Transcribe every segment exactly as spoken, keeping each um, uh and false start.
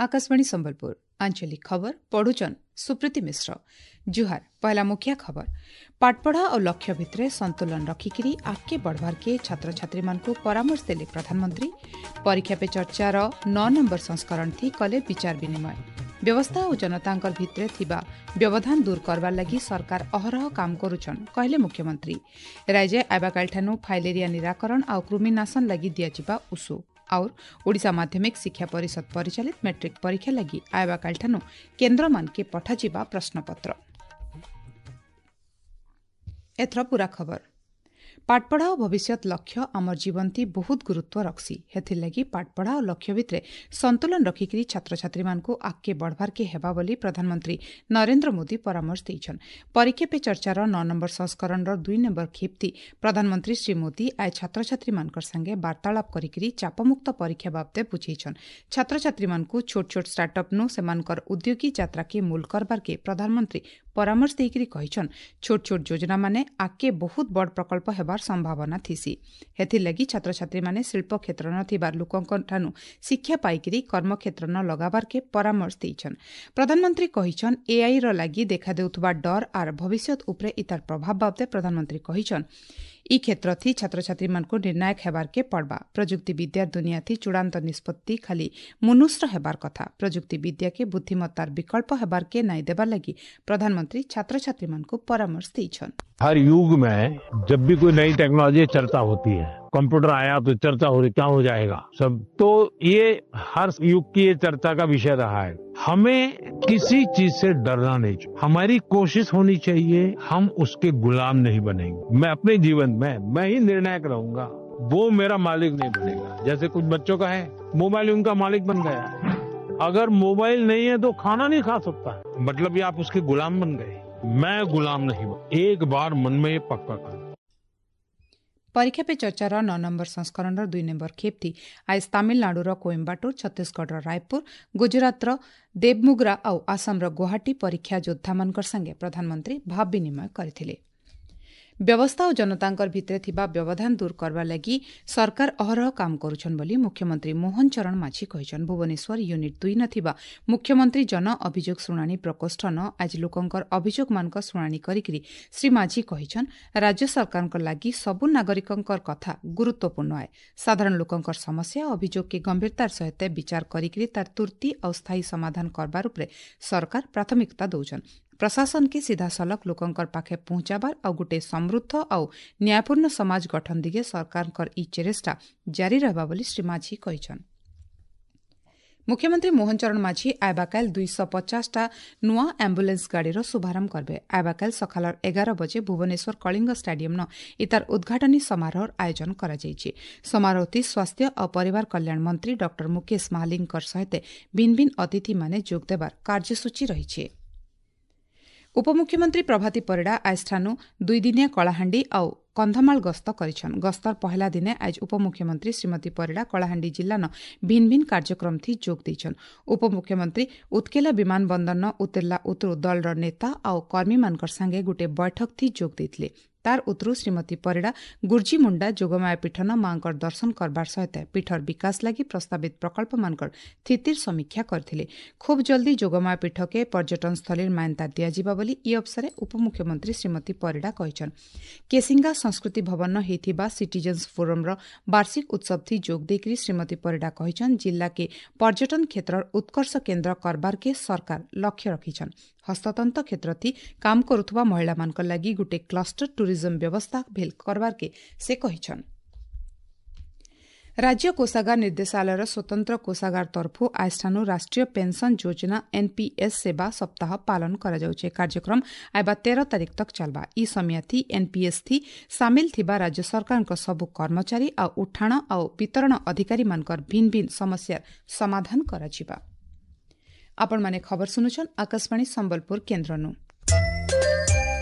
ଆକାଶବାଣୀ ସମ୍ବଲପୁର ଆଞ୍ଚଳିକ ଖବର ପଢୁଛନ୍ ସୁପ୍ରୀତି ମିଶ୍ର ଜୁହାର ପହଲା ମୁଖ୍ୟ ଖବର ପାଠପଢ଼ା ଓ ଲକ୍ଷ୍ୟ ଭିତରେ ସନ୍ତୁଳନ ରଖିକିରି ଆଗକେ ବଢ଼ବାର୍କେ ଛାତ୍ରଛାତ୍ରୀମାନଙ୍କୁ ପରାମର୍ଶ ଦେଲେ ପ୍ରଧାନମନ୍ତ୍ରୀ ପରୀକ୍ଷା ପେ ଚର୍ଚ୍ଚାର ନଅ ନମ୍ବର ସଂସ୍କରଣ ଥି କଲେ ବିଚାର ବିନିମୟ ବ୍ୟବସ୍ଥା ଓ ଜନତାଙ୍କର ଭିତରେ ଥିବା ବ୍ୟବଧାନ ଦୂର କରବାର୍ ଲାଗି ସରକାର ଅହରହ କାମ କରୁଛନ୍ କହିଲେ ମୁଖ୍ୟମନ୍ତ୍ରୀ ରାଜ୍ୟ ଆବାକାଲିଠାନୁ ଫାଇଲେରିଆ ନିରାକରଣ ଆଉ କୃମିନାଶନ ଲାଗି ଦିଆଯିବା ଉସୁ और ଓଡ଼ିଶା ମାଧ୍ୟମିକ ଶିକ୍ଷା ପରିଷଦ ପରିଚାଳିତ ମେଟ୍ରିକ୍ ପରୀକ୍ଷା ଲାଗି ଆଇବାକାଲିଠାନୁ କେନ୍ଦ୍ରମାନକେ ପଠାଯିବା ପ୍ରଶ୍ନପତ୍ର ଏଥର ପୂରା ଖବର ପାଠପଢ଼ା ଓ ଭବିଷ୍ୟତ ଲକ୍ଷ୍ୟ ଆମର ଜୀବନଥି ବହୁତ ଗୁରୁତ୍ୱ ରଖ୍ସି ହେଥିର୍ଲାଗି ପାଠପଢ଼ା ଓ ଲକ୍ଷ୍ୟ ଭିତରେ ସନ୍ତୁଳନ ରଖିକିରି ଛାତ୍ରଛାତ୍ରୀମାନଙ୍କୁ ଆଗକେ ବଢ଼ବାର୍କେ ହେବା ବୋଲି ପ୍ରଧାନମନ୍ତ୍ରୀ ନରେନ୍ଦ୍ର ମୋଦି ପରାମର୍ଶ ଦେଇଛନ୍ ପରୀକ୍ଷା ପେ ଚର୍ଚ୍ଚାର ନଅ ନମ୍ବର ସଂସ୍କରଣର ଦୁଇ ନମ୍ବର ଖେପ୍ତି ପ୍ରଧାନମନ୍ତ୍ରୀ ଶ୍ରୀ ମୋଦି ଆଜ ଛାତ୍ରଛାତ୍ରୀମାନଙ୍କର ସାଙ୍ଗେ ବାର୍ତ୍ତାଳାପ କରିକିରି ଚାପମୁକ୍ତ ପରୀକ୍ଷା ବାବଦେ ବୁଝେଇଛନ୍ ଛାତ୍ରଛାତ୍ରୀମାନଙ୍କୁ ଛୋଟ ଛୋଟ ଷ୍ଟାର୍ଟଅପ୍ନୁ ସେମାନଙ୍କର ଉଦ୍ୟୋଗୀ ଯାତ୍ରାକେ ମୂଲ କରବାର୍କେ ପ୍ରଧାନମନ୍ତ୍ରୀ ପରାମର୍ଶ ଦେଇକିରି କହିଛନ୍ ଛୋଟ ଛୋଟ ଯୋଜନାମାନେ ଆଗକେ ବହୁତ ବଡ଼ ପ୍ରକଳ୍ପ ହେବାର ସମ୍ଭାବନା ଥିସି ହେଥିର୍ଲାଗି ଛାତ୍ରଛାତ୍ରୀମାନେ ଶିଳ୍ପ କ୍ଷେତ୍ରନ ଥିବା ଲୋକଙ୍କଠାନୁ ଶିକ୍ଷା ପାଇକିରି କର୍ମକ୍ଷେତ୍ରନ ଲଗାବାର୍କେ ପରାମର୍ଶ ଦେଇଛନ୍ ପ୍ରଧାନମନ୍ତ୍ରୀ କହିଛନ୍ ଏଆଇର ଲାଗି ଦେଖାଦେଉଥିବା ଡର ଆର୍ ଭବିଷ୍ୟତ ଉପରେ ଇତାର ପ୍ରଭାବ ବାବଦେ ପ୍ରଧାନମନ୍ତ୍ରୀ କହିଛନ୍ ଇ କ୍ଷେତ୍ରଥି ଛାତ୍ରଛାତ୍ରୀମାନଙ୍କୁ ନିର୍ଣ୍ଣାୟକ ହେବାର୍କେ ପଡ଼ବା ପ୍ରଯୁକ୍ତି ବିଦ୍ୟାର ଦୁନିଆଥି ଚୂଡ଼ାନ୍ତ ନିଷ୍ପତ୍ତି ଖାଲି ମନୁଷ୍ର ହେବାର କଥା ପ୍ରଯୁକ୍ତି ବିଦ୍ୟାକେ ବୁଦ୍ଧିମତ୍ତାର ବିକଳ୍ପ ହେବାର୍କେ ନାଇଁ ଦେବାର ଲାଗି ପ୍ରଧାନମନ୍ତ୍ରୀ ଛାତ୍ରଛାତ୍ରୀମାନଙ୍କୁ ପରାମର୍ଶ ଦେଇଛନ୍ हर युग में जब भी कोई नई टेक्नोलॉजी चर्चा होती है कंप्यूटर आया तो चर्चा हो रही क्या हो जाएगा सब तो ये हर युग की ये चर्चा का विषय रहा है हमें किसी चीज से डरना नहीं चाहिए हमारी कोशिश होनी चाहिए हम उसके गुलाम नहीं बनेंगे मैं अपने जीवन में मैं ही निर्णायक रहूंगा वो मेरा मालिक नहीं बनेगा जैसे कुछ बच्चों का है मोबाइल उनका मालिक बन गया है अगर मोबाइल नहीं है तो खाना नहीं खा सकता मतलब ये आप उसके गुलाम बन गए मैं गुलाम नहीं बन एक बार मन में ये पक्का कर ପରୀକ୍ଷା ପେ ଚର୍ଚ୍ଚାର ନଅ ନମ୍ବର ସଂସ୍କରଣର ଦୁଇ ନମ୍ବର ଖେପ୍ତି ଆଜ ତାମିଲନାଡୁର କୋଏମ୍ବାଟୁର ଛତିଶଗଡ଼ର ରାୟପୁର ଗୁଜରାତର ଦେବମୁଗ୍ରା ଆଉ ଆସାମର ଗୁଆହାଟୀ ପରୀକ୍ଷା ଯୋଦ୍ଧାମାନଙ୍କର ସାଙ୍ଗେ ପ୍ରଧାନମନ୍ତ୍ରୀ ଭାବ ବିନିମୟ କରିଥିଲେ ବ୍ୟବସ୍ଥା ଓ ଜନତାଙ୍କର ଭିତରେ ଥିବା ବ୍ୟବଧାନ ଦୂର କରବା ଲାଗି ସରକାର ଅହରହ କାମ କରୁଛନ୍ ବୋଲି ମୁଖ୍ୟମନ୍ତ୍ରୀ ମୋହନ ଚରଣ ମାଝୀ କହିଛନ୍ ଭୁବନେଶ୍ୱର ୟୁନିଟ୍ ଦୁଇ ନ ଥିବା ମୁଖ୍ୟମନ୍ତ୍ରୀ ଜନ ଅଭିଯୋଗ ଶୁଣାଣି ପ୍ରକୋଷ୍ଠ ନ ଆଜି ଲୋକଙ୍କର ଅଭିଯୋଗମାନଙ୍କ ଶୁଣାଣି କରିକିରି ଶ୍ରୀ ମାଝୀ କହିଛନ୍ ରାଜ୍ୟ ସରକାରଙ୍କ ଲାଗି ସବୁ ନାଗରିକଙ୍କର କଥା ଗୁରୁତ୍ୱପୂର୍ଣ୍ଣ ଆଏ ସାଧାରଣ ଲୋକଙ୍କର ସମସ୍ୟା ଅଭିଯୋଗକେ ଗମ୍ଭୀରତାର ସହିତ ବିଚାର କରିକିରି ତାର ତୁର୍ତି ଆଉ ସ୍ଥାୟୀ ସମାଧାନ କରବାର ଉପରେ ସରକାର ପ୍ରାଥମିକତା ଦଉଛନ୍ ପ୍ରଶାସନକେ ସିଧାସଳଖ ଲୋକଙ୍କର ପାଖେ ପହଞ୍ଚାବାର ଆଉ ଗୋଟେ ସମୃଦ୍ଧ ଆଉ ନ୍ୟାୟପୂର୍ଣ୍ଣ ସମାଜ ଗଠନ ଦିଗେ ସରକାରଙ୍କର ଇ ଚେଷ୍ଟା ଜାରି ରହିବା ବୋଲି ଶ୍ରୀ ମାଝୀ କହିଛନ୍ ମୁଖ୍ୟମନ୍ତ୍ରୀ ମୋହନ ଚରଣ ମାଝୀ ଆଇବାକାଲ ଦୁଇଶହ ପଚାଶଟା ନୂଆ ଆମ୍ବୁଲାନ୍ସ ଗାଡ଼ିର ଶୁଭାରମ୍ଭ କରିବେ ଆଇବାକାଲ ସକାଳର ଏଗାର ବଜେ ଭୁବନେଶ୍ୱର କଳିଙ୍ଗ ଷ୍ଟାଡିୟମ୍ନ ଇତାର ଉଦ୍ଘାଟନୀ ସମାରୋହର ଆୟୋଜନ କରାଯାଇଛି ସମାରୋହଟି ସ୍ୱାସ୍ଥ୍ୟ ଓ ପରିବାର କଲ୍ୟାଣ ମନ୍ତ୍ରୀ ଡକ୍ଟର ମୁକେଶ ମହାଲିଙ୍ଗଙ୍କ ସହିତ ଭିନ୍ନ ଭିନ୍ନ ଅତିଥିମାନେ ଯୋଗ ଦେବାର କାର୍ଯ୍ୟସୂଚୀ ରହିଛି ଉପମୁଖ୍ୟମନ୍ତ୍ରୀ ପ୍ରଭାତୀ ପରିଡ଼ା ଆଜଠାନୁ ଦୁଇଦିନିଆ କଳାହାଣ୍ଡି ଆଉ କନ୍ଧମାଳ ଗସ୍ତ କରିଛନ୍ ଗସ୍ତର ପହଲା ଦିନେ ଆଜ ଉପମୁଖ୍ୟମନ୍ତ୍ରୀ ଶ୍ରୀମତୀ ପରିଡ଼ା କଳାହାଣ୍ଡି ଜିଲ୍ଲାନ ଭିନ୍ନ ଭିନ୍ନ କାର୍ଯ୍ୟକ୍ରମଥି ଯୋଗ ଦେଇଛନ୍ ଉପମୁଖ୍ୟମନ୍ତ୍ରୀ ଉତ୍କେଲା ବିମାନ ବନ୍ଦରନ ଉତିର୍ଲା ଉତରୁ ଦଳର ନେତା ଆଉ କର୍ମୀମାନଙ୍କର ସାଙ୍ଗେ ଗୋଟିଏ ବୈଠକଥି ଯୋଗ ଦେଇଥିଲେ ତାର ଉତରୁ ଶ୍ରୀମତୀ ପରିଡ଼ା ଗୁର୍ଜିମୁଣ୍ଡା ଯୋଗମାୟା ପୀଠନ ମାଙ୍କର ଦର୍ଶନ କରବାର ସହିତ ପୀଠର ବିକାଶ ଲାଗି ପ୍ରସ୍ତାବିତ ପ୍ରକଳ୍ପମାନଙ୍କର ସ୍ଥିତିର ସମୀକ୍ଷା କରିଥିଲେ ଖୁବ୍ ଜଲ୍ଦି ଯୋଗମାୟା ପୀଠକେ ପର୍ଯ୍ୟଟନସ୍ଥଳୀର ମାନ୍ୟତା ଦିଆଯିବ ବୋଲି ଇ ଅବସରେ ଉପମୁଖ୍ୟମନ୍ତ୍ରୀ ଶ୍ରୀମତୀ ପରିଡ଼ା କହିଛନ୍ କେସିଙ୍ଗା ସଂସ୍କୃତି ଭବନ ହେଇଥିବା ସିଟିଜେନ୍ସ ଫୋରମ୍ର ବାର୍ଷିକ ଉତ୍ସବଥି ଯୋଗ ଦେଇକରି ଶ୍ରୀମତୀ ପରିଡ଼ା କହିଛନ୍ ଜିଲ୍ଲାକେ ପର୍ଯ୍ୟଟନ କ୍ଷେତ୍ରର ଉତ୍କର୍ଷ କେନ୍ଦ୍ର କରବାର୍କେ ସରକାର ଲକ୍ଷ୍ୟ ରଖିଛନ୍ ହସ୍ତତନ୍ତ କ୍ଷେତ୍ରଥି କାମ କରୁଥିବା ମହିଳାମାନଙ୍କ ଲାଗି ଗୋଟେ କ୍ଲଷ୍ଟର ଟୁରିଜମ ବ୍ୟବସ୍ଥା ଭେଲ କରବାର୍କେ ସେ କହିଛନ୍ ରାଜ୍ୟ କୋଷାଗାର ନିର୍ଦ୍ଦେଶାଳୟର ସ୍ୱତନ୍ତ୍ର କୋଷାଗାର ତରଫରୁ ଆଜଠାନୁ ରାଷ୍ଟ୍ରୀୟ ପେନ୍ସନ୍ ଯୋଜନା ଏନ୍ପିଏସ୍ ସେବା ସପ୍ତାହ ପାଳନ କରାଯାଉଛି କାର୍ଯ୍ୟକ୍ରମ ଆଇବା ତେର ତାରିଖ ତକ୍ ଚାଲବା ଇ ସମିୟାଥି ଏନ୍ପିଏସ୍ ଥି ସାମିଲ ଥିବା ରାଜ୍ୟ ସରକାରଙ୍କ ସବୁ କର୍ମଚାରୀ ଆଉ ଉଠାଣ ଆଉ ବିତରଣ ଅଧିକାରୀମାନଙ୍କର ଭିନ୍ନ ଭିନ୍ନ ସମସ୍ୟାର ସମାଧାନ କରାଯିବା ଆପଣମାନେ ଖବର ଶୁଣୁଛନ୍ ଆକାଶବାଣୀ ସମ୍ବଲପୁର କେନ୍ଦ୍ରନୁ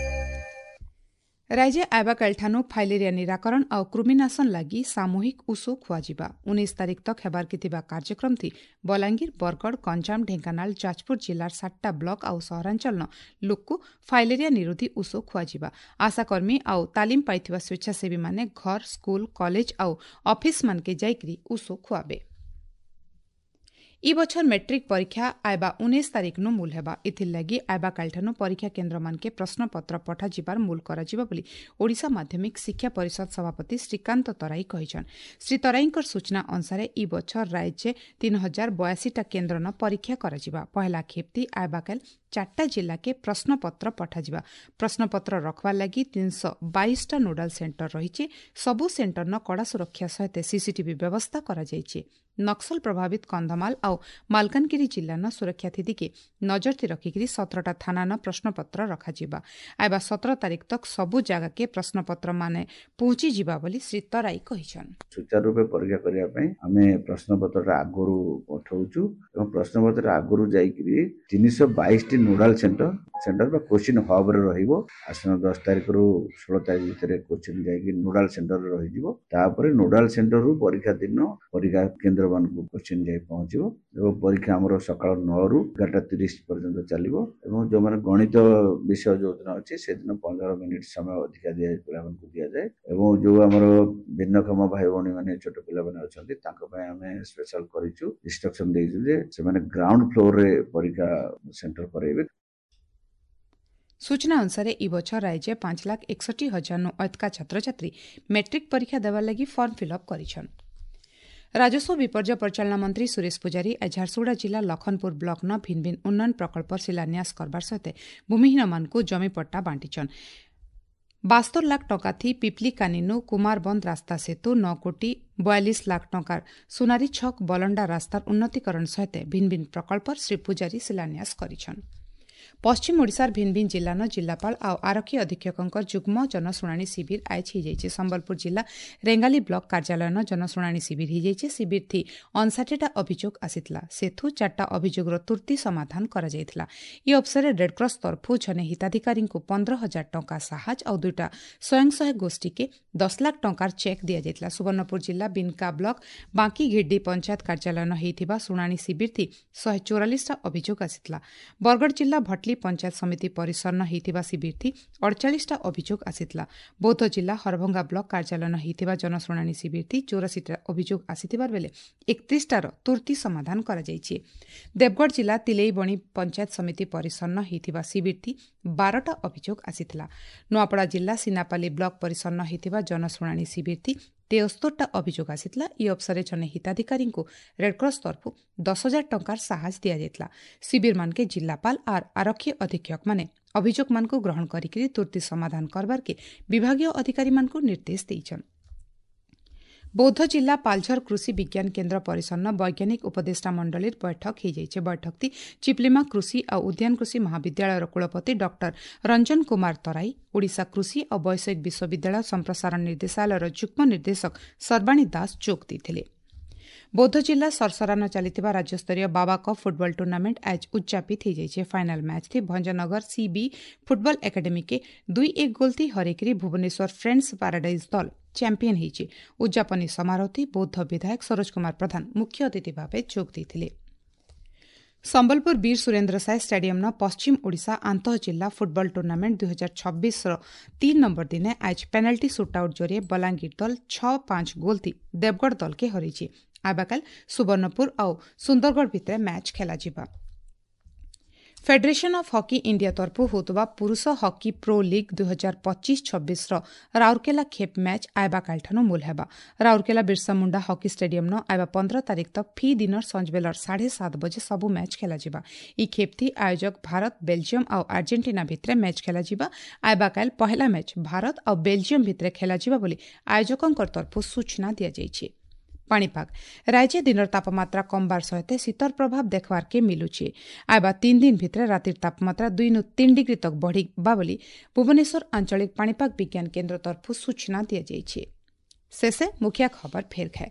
ରାଜ୍ୟ ଆଇବାକାଲିଠାନୁ ଫାଇଲେରିଆ ନିରାକରଣ ଆଉ କୃମିନାଶନ ଲାଗି ସାମୂହିକ ଉଷୋ ଖୁଆଯିବା ଉଣେଇଶ ତାରିଖ ତକ୍ ହେବାର୍କେ ଥିବା କାର୍ଯ୍ୟକ୍ରମଥି ବଲାଙ୍ଗୀର ବରଗଡ଼ ଗଞ୍ଜାମ ଢେଙ୍କାନାଳ ଯାଜପୁର ଜିଲ୍ଲାର ସାତଟା ବ୍ଲକ ଆଉ ସହରାଞ୍ଚଳର ଲୋକକୁ ଫାଇଲେରିଆ ନିରୋଧୀ ଉଷୋ ଖୁଆଯିବା ଆଶାକର୍ମୀ ଆଉ ତାଲିମ ପାଇଥିବା ସ୍ୱେଚ୍ଛାସେବୀମାନେ ଘର ସ୍କୁଲ କଲେଜ ଆଉ ଅଫିସମାନକେ ଯାଇକରି ଉଷୋ ଖୁଆବେ ଇ ବଛର ମେଟ୍ରିକ୍ ପରୀକ୍ଷା ଆଇବା ଉଣେଇଶ ତାରିଖନୁ ମୂଲ ହେବା। ଏଥିର୍ଲାଗି ଆଇବା କାଲିଠାନୁ ପରୀକ୍ଷା କେନ୍ଦ୍ରମାନକେ ପ୍ରଶ୍ନପତ୍ର ପଠାଯିବାର ମୂଲ କରାଯିବ ବୋଲି ଓଡ଼ିଶା ମାଧ୍ୟମିକ ଶିକ୍ଷା ପରିଷଦ ସଭାପତି ଶ୍ରୀକାନ୍ତ ତରାଇ କହିଛନ୍। ଶ୍ରୀ ତରାଇଙ୍କର ସୂଚନା ଅନୁସାରେ ଇ ବଛର ରାଜ୍ୟେ ତିନି ହଜାର ବୟାଅଶୀଟା କେନ୍ଦ୍ରନ ପରୀକ୍ଷା କରାଯିବା। ପହେଲା ଖେପ୍ତି ଆଇବାକାଲ ଚାରିଟା ଜିଲ୍ଲାକେ ପ୍ରଶ୍ନପତ୍ର ପଠାଯିବା। ପ୍ରଶ୍ନପତ୍ର ରଖବାର୍ ଲାଗି ତିନିଶହ ବାଇଶଟା ନୋଡାଲ ସେଣ୍ଟର ରହିଛି। ସବୁ ସେଣ୍ଟରନ କଡ଼ା ସୁରକ୍ଷା ସହିତ ସିସିଟିଭି ବ୍ୟବସ୍ଥା କରାଯାଇଛି। ନକ୍ସଲ ପ୍ରଭାବିତ କନ୍ଧମାଳ ଆଉ ମାଲକାନଗିରି ଜିଲ୍ଲାନ ସୁରକ୍ଷା ଥିତିକେ ନଜରଥି ରଖିକିରି ସତରଟା ଥାନାନ ପ୍ରଶ୍ନପତ୍ର ରଖାଯିବା। ଆଇବା ସତର ତାରିଖ ତକ୍ ସବୁ ଜାଗାକେ ପ୍ରଶ୍ନପତ୍ର ମାନେ ପହଞ୍ଚିଯିବା ବୋଲି ଶ୍ରୀ ତରାଇ କହିଛନ୍। ସୁଚାରୁ ରୂପେ ପରୀକ୍ଷା କରିବା ପାଇଁ ଆମେ ପ୍ରଶ୍ନପତ୍ରଟା ଆଗରୁ ପଠଉଛୁ ଏବଂ ପ୍ରଶ୍ନପତ୍ର ଆଗରୁ ଯାଇକିରି ତିନିଶହ ବାଇଶଟି ନୋଡାଲ ସେଣ୍ଟର ସେଣ୍ଟର ବା କୋଚିଂ ହବ୍ରେ ରହିବ। ଆସନ୍ତା ଦଶ ତାରିଖରୁ ଷୋହଳ ତାରିଖ ଭିତରେ କୋଚିଂ ଯାଇକି ନୋଡାଲ ସେଣ୍ଟରରେ ରହିଯିବ। ତାପରେ ନୋଡାଲ ସେଣ୍ଟରରୁ ପରୀକ୍ଷା ଦିନ ପରୀକ୍ଷା କେନ୍ଦ୍ରମାନଙ୍କୁ କୋଚିଂ ଯାଇ ପହଞ୍ଚିବ ଏବଂ ପରୀକ୍ଷା ଆମର ସକାଳ ନଅରୁ ଏଗାରଟା ତିରିଶ ପର୍ଯ୍ୟନ୍ତ ଚାଲିବ ଏବଂ ଯେଉଁମାନେ ଗଣିତ ବିଷୟ ଯେଉଁଦିନ ଅଛି ସେଦିନ ପନ୍ଦର ମିନିଟ୍ ସମୟ ଅଧିକା ଦିଆ ପିଲାମାନଙ୍କୁ ଦିଆଯାଏ ଏବଂ ଯେଉଁ ଆମର ଭିନ୍ନକ୍ଷମ ଭାଇ ଭଉଣୀମାନେ ଛୋଟ ପିଲାମାନେ ଅଛନ୍ତି ତାଙ୍କ ପାଇଁ ଆମେ ସ୍ପେଶାଲ କରିଛୁ, ଇନଷ୍ଟ୍ରକ୍ସନ ଦେଇଛୁ ଯେ ସେମାନେ ଗ୍ରାଉଣ୍ଡ ଫ୍ଲୋରରେ ପରୀକ୍ଷା ସେଣ୍ଟର କରାଇବେ। ସୂଚନା ଅନୁସାରେ ଇ ବଛର ରାଜ୍ୟ ପାଞ୍ଚ ଲାଖ ଏକଷଠି ହଜାରନୁ ଅଧିକା ଛାତ୍ରଛାତ୍ରୀ ମେଟ୍ରିକ୍ ପରୀକ୍ଷା ଦେବାର ଲାଗି ଫର୍ମ ଫିଲ୍ଅପ୍ କରିଛନ୍। ରାଜସ୍ୱ ବିପର୍ଯ୍ୟୟ ପରିଚାଳନା ମନ୍ତ୍ରୀ ସୁରେଶ ପୂଜାରୀ ଆଜି ଝାରସୁଗୁଡ଼ା ଜିଲ୍ଲା ଲଖନପୁର ବ୍ଲକ୍ନ ଭିନ୍ନ ଭିନ୍ନ ଉନ୍ନୟନ ପ୍ରକଳ୍ପର ଶିଳାନ୍ୟାସ କରବାର ସହିତ ଭୂମିହୀନମାନଙ୍କୁ ଜମିପଟ୍ଟା ବାଣ୍ଟିଛନ୍। ବାସ୍ତର ଲାଖ ଟଙ୍କା ଥି ପିପଲି କାନିନୁ କୁମାରବନ୍ଦ ରାସ୍ତା ସେତୁ, ନଅ କୋଟି ବୟାଳିଶ ଲାଖ ଟଙ୍କାର ସୁନାରୀ ଛକ ବଲଣ୍ଡା ରାସ୍ତାର ଉନ୍ନତିକରଣ ସହିତ ଭିନ୍ନ ଭିନ୍ନ ପ୍ରକଳ୍ପର ଶ୍ରୀ ପୂଜାରୀ ଶିଳାନ୍ୟାସ କରିଛନ୍। ପଶ୍ଚିମ ଓଡ଼ିଶାର ଭିନ୍ନ ଭିନ୍ନ ଜିଲ୍ଲାନ ଜିଲ୍ଲାପାଳ ଆଉ ଆରକ୍ଷୀ ଅଧୀକ୍ଷକଙ୍କର ଯୁଗ୍ମ ଜନଶୁଣାଣି ଶିବିର ଆୟୋଜ ହୋଇଯାଇଛି। ସମ୍ବଲପୁର ଜିଲ୍ଲା ରେଙ୍ଗାଲି ବ୍ଲକ କାର୍ଯ୍ୟାଳୟନ ଜନଶୁଣାଣି ଶିବିର ହୋଇଯାଇଛି। ଶିବିର ଥି ଅଣଷାଠିଟା ଅଭିଯୋଗ ଆସିଥିଲା। ସେଥୁ ଚାରିଟା ଅଭିଯୋଗର ତୁର୍ତ୍ତି ସମାଧାନ କରାଯାଇଥିଲା। ଇ ଅବସରରେ ରେଡ୍କ୍ରସ୍ ତରଫୁ ଜଣେ ହିତାଧିକାରୀଙ୍କୁ ପନ୍ଦର ହଜାର ଟଙ୍କା ସାହାଯ୍ୟ ଆଉ ଦୁଇଟା ସ୍ୱୟଂ ସହାୟକ ଗୋଷ୍ଠୀକେ ଦଶ ଲାଖ ଟଙ୍କାର ଚେକ୍ ଦିଆଯାଇଥିଲା। ସୁବର୍ଣ୍ଣପୁର ଜିଲ୍ଲା ବିନକା ବ୍ଲକ ବାଙ୍କି ଘିଡ୍ଡି ପଞ୍ଚାୟତ କାର୍ଯ୍ୟାଳୟନ ହୋଇଥିବା ଶୁଣାଣି ଶିବିର ଥି ଶହେ ଚଉରାଳିଶଟା ଅଭିଯୋଗ ଆସିଥିଲା। ବରଗଡ଼ ଜିଲ୍ଲା ଭଟଲି ପଞ୍ଚାୟତ ସମିତି ପରିସରନ ହୋଇଥିବା ଶିବିରଥି ଅଡ଼ଚାଳିଶଟା ଅଭିଯୋଗ ଆସିଥିଲା। ବୌଦ୍ଧ ଜିଲ୍ଲା ହରଭଙ୍ଗା ବ୍ଲକ କାର୍ଯ୍ୟାଳୟନ ହୋଇଥିବା ଜନଶୁଣାଣି ଶିବିରଥି ଚଉରାଶୀଟା ଅଭିଯୋଗ ଆସିଥିବା ବେଳେ ଏକତିରିଶଟାର ତୁର୍ତ୍ତି ସମାଧାନ କରାଯାଇଛି। ଦେବଗଡ଼ ଜିଲ୍ଲା ତିଲେଇବଣି ପଞ୍ଚାୟତ ସମିତି ପରିସରନ ହୋଇଥିବା ଶିବିରଥି ବାରଟା ଅଭିଯୋଗ ଆସିଥିଲା। ନୂଆପଡ଼ା ଜିଲ୍ଲା ସିନାପାଲି ବ୍ଲକ ପରିସରନ ହୋଇଥିବା ଜନଶୁଣାଣି ଶିବିରଥି ତେସ୍ତରଟା ଅଭିଯୋଗ ଆସିଥିଲା। ଇ ଅବସରରେ ଜଣେ ହିତାଧିକାରୀଙ୍କୁ ରେଡ୍କ୍ରସ୍ ତରଫରୁ ଦଶ ହଜାର ଟଙ୍କାର ସାହାଯ୍ୟ ଦିଆଯାଇଥିଲା। ଶିବିରମାନକେ ଜିଲ୍ଲାପାଳ ଆର୍ ଆରକ୍ଷୀ ଅଧୀକ୍ଷକମାନେ ଅଭିଯୋଗମାନଙ୍କୁ ଗ୍ରହଣ କରିକି ତୁର୍ତ୍ତି ସମାଧାନ କରବାର୍କେ ବିଭାଗୀୟ ଅଧିକାରୀମାନଙ୍କୁ ନିର୍ଦ୍ଦେଶ ଦେଇଛନ୍। ବୌଦ୍ଧ ଜିଲ୍ଲା ପାଲଝର କୃଷି ବିଜ୍ଞାନ କେନ୍ଦ୍ର ପରିସରନ ବୈଜ୍ଞାନିକ ଉପଦେଷ୍ଟା ମଣ୍ଡଳୀର ବୈଠକ ହୋଇଯାଇଛି। ବୈଠକଟି ଚିପଲିମା କୃଷି ଆଉ ଉଦ୍ୟାନ କୃଷି ମହାବିଦ୍ୟାଳୟର କୁଳପତି ଡକ୍ଟର ରଞ୍ଜନ କୁମାର ତରାଇ, ଓଡ଼ିଶା କୃଷି ଆଉ ବୈଷୟିକ ବିଶ୍ୱବିଦ୍ୟାଳୟ ସମ୍ପ୍ରସାରଣ ନିର୍ଦ୍ଦେଶାଳୟର ଯୁଗ୍ମ ନିର୍ଦ୍ଦେଶକ ସର୍ବାଣୀ ଦାସ ଯୋଗ ଦେଇଥିଲେ। ବୌଦ୍ଧ ଜିଲ୍ଲା ସରସରାନ ଚାଲିଥିବା ରାଜ୍ୟସ୍ତରୀୟ ବାବା କପ୍ ଫୁଟବଲ ଟୁର୍ଣ୍ଣାମେଣ୍ଟ ଆଜ ଉଦ୍ଯାପିତ ହୋଇଯାଇଛି। ଫାଇନାଲ ମ୍ୟାଚ୍ ଥି ଭଞ୍ଜନଗର ସିବି ଫୁଟବଲ ଏକାଡେମୀକେ ଦୁଇ ଏକ ଗୋଲ୍ ଥି ହରେଇକରି ଭୁବନେଶ୍ୱର ଫ୍ରେଣ୍ଡସ୍ ପାରାଡାଇଜ୍ ଦଳ ଚାମ୍ପିୟନ ହୋଇଛି। ଉଦ୍ଯାପନୀ ସମାରୋହଟି ବୌଦ୍ଧ ବିଧାୟକ ସରୋଜ କୁମାର ପ୍ରଧାନ ମୁଖ୍ୟ ଅତିଥି ଭାବେ ଯୋଗ ଦେଇଥିଲେ। ସମ୍ବଲପୁର ବୀର ସୁରେନ୍ଦ୍ର ସାଏ ଷ୍ଟାଡିୟମ୍ନ ପଶ୍ଚିମ ଓଡ଼ିଶା ଆନ୍ତଃ ଜିଲ୍ଲା ଫୁଟବଲ ଟୁର୍ଣ୍ଣାମେଣ୍ଟ ଦୁଇ ହଜାର ଛବିଶର ତିନି ନମ୍ବର ଦିନେ ଆଜ ପେନାଲ୍ଟି ସୁଟ୍ଆଉଟ୍ ଜରିଏ ବଲାଙ୍ଗୀର ଦଳ ଛଅ ପାଞ୍ଚ ଗୋଲ୍ ଥି ଦେବଗଡ଼ ଦଳକେ ହରାଇଛି। ଆବାକାଲ ସୁବର୍ଣ୍ଣପୁର ଆଉ ସୁନ୍ଦରଗଡ଼ ଭିତରେ ମ୍ୟାଚ୍ ଖେଳାଯିବା। ଫେଡେରେସନ୍ ଅଫ୍ ହକି ଇଣ୍ଡିଆ ତରଫରୁ ହେଉଥିବା ପୁରୁଷ ହକି ପ୍ରୋ ଲିଗ୍ ଦୁଇ ହଜାର ପଚିଶ ଛବିଶର ରାଉରକେଲା ଖେପ୍ ମ୍ୟାଚ୍ ଆଇବାକାଲିଠାରୁ ମୂଲ ହେବା। ରାଉରକେଲା ବିର୍ସା ମୁଣ୍ଡା ହକି ଷ୍ଟାଡିୟମ୍ନ ଆଇବା ପନ୍ଦର ତାରିଖ ତକ୍ ଫି ଦିନର ସଞ୍ଜବେଲର ସାଢ଼େ ସାତ ବଜେ ସବୁ ମ୍ୟାଚ୍ ଖେଳାଯିବା। ଇ ଖେପ୍ଥି ଆୟୋଜକ ଭାରତ, ବେଲଜିୟମ୍ ଆଉ ଆର୍ଜେଣ୍ଟିନା ଭିତରେ ମ୍ୟାଚ୍ ଖେଳାଯିବା। ଆଇବାକାଲ ପହେଲା ମ୍ୟାଚ୍ ଭାରତ ଆଉ ବେଲଜିୟମ୍ ଭିତରେ ଖେଳାଯିବା ବୋଲି ଆୟୋଜକଙ୍କ ତରଫରୁ ସୂଚନା ଦିଆଯାଇଛି। ପାଣିପାଗ ରାଜ୍ୟ ଦିନର ତାପମାତ୍ରା କମବାର ସହିତ ଶୀତର ପ୍ରଭାବ ଦେଖବାର୍କେ ମିଲୁଛି। ଆଇବା ତିନି ଦିନ ଭିତରେ ରାତିର ତାପମାତ୍ରା ଦୁଇରୁ ତିନି ଡିଗ୍ରୀ ତକ୍ ବଢ଼ିବା ବୋଲି ଭୁବନେଶ୍ୱର ଆଞ୍ଚଳିକ ପାଣିପାଗ ବିଜ୍ଞାନ କେନ୍ଦ୍ର ତରଫରୁ ସୂଚନା ଦିଆଯାଇଛି। ଶେଷେ ମୁଖିଆ ଖବର ଫେର ଖାଏ।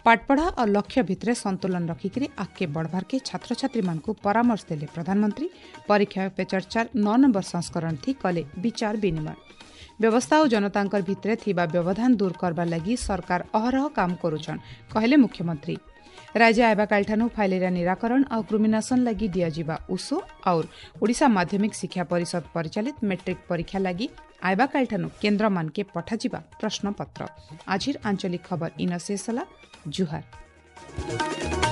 ପାଠପଢ଼ା ଆଉ ଲକ୍ଷ୍ୟ ଭିତରେ ସନ୍ତୁଳନ ରଖିକିରି ଆଗକେ ବଢ଼ବାର୍କେ ଛାତ୍ରଛାତ୍ରୀମାନଙ୍କୁ ପରାମର୍ଶ ଦେଲେ ପ୍ରଧାନମନ୍ତ୍ରୀ। ପରୀକ୍ଷା ପେ ଚର୍ଚ୍ଚାର ନଅ ନମ୍ବର ସଂସ୍କରଣ ଥି କଲେ ବିଚାର ବିନିମୟ। ବ୍ୟବସ୍ଥା ଓ ଜନତାଙ୍କର ଭିତରେ ଥିବା ବ୍ୟବଧାନ ଦୂର କରବାର ଲାଗି ସରକାର ଅହରହ କାମ କରୁଛନ୍ କହିଲେ ମୁଖ୍ୟମନ୍ତ୍ରୀ। ରାଜ୍ୟ ଆଇବାକାଲିଠାରୁ ଫାଇଲେରିଆ ନିରାକରଣ ଆଉ କୃମିନାଶନ ଲାଗି ଦିଆଯିବା ଉଷୋ ଆଉ ଓଡ଼ିଶା ମାଧ୍ୟମିକ ଶିକ୍ଷା ପରିଷଦ ପରିଚାଳିତ ମେଟ୍ରିକ୍ ପରୀକ୍ଷା ଲାଗି ଆଇବାକାଲିଠାରୁ କେନ୍ଦ୍ରମାନକେ ପଠାଯିବା ପ୍ରଶ୍ନପତ୍ର। ଆଜିର ଆଞ୍ଚଳିକ ଖବର ଇନ ଶେଷ ହେଲା। ଜୁହାର।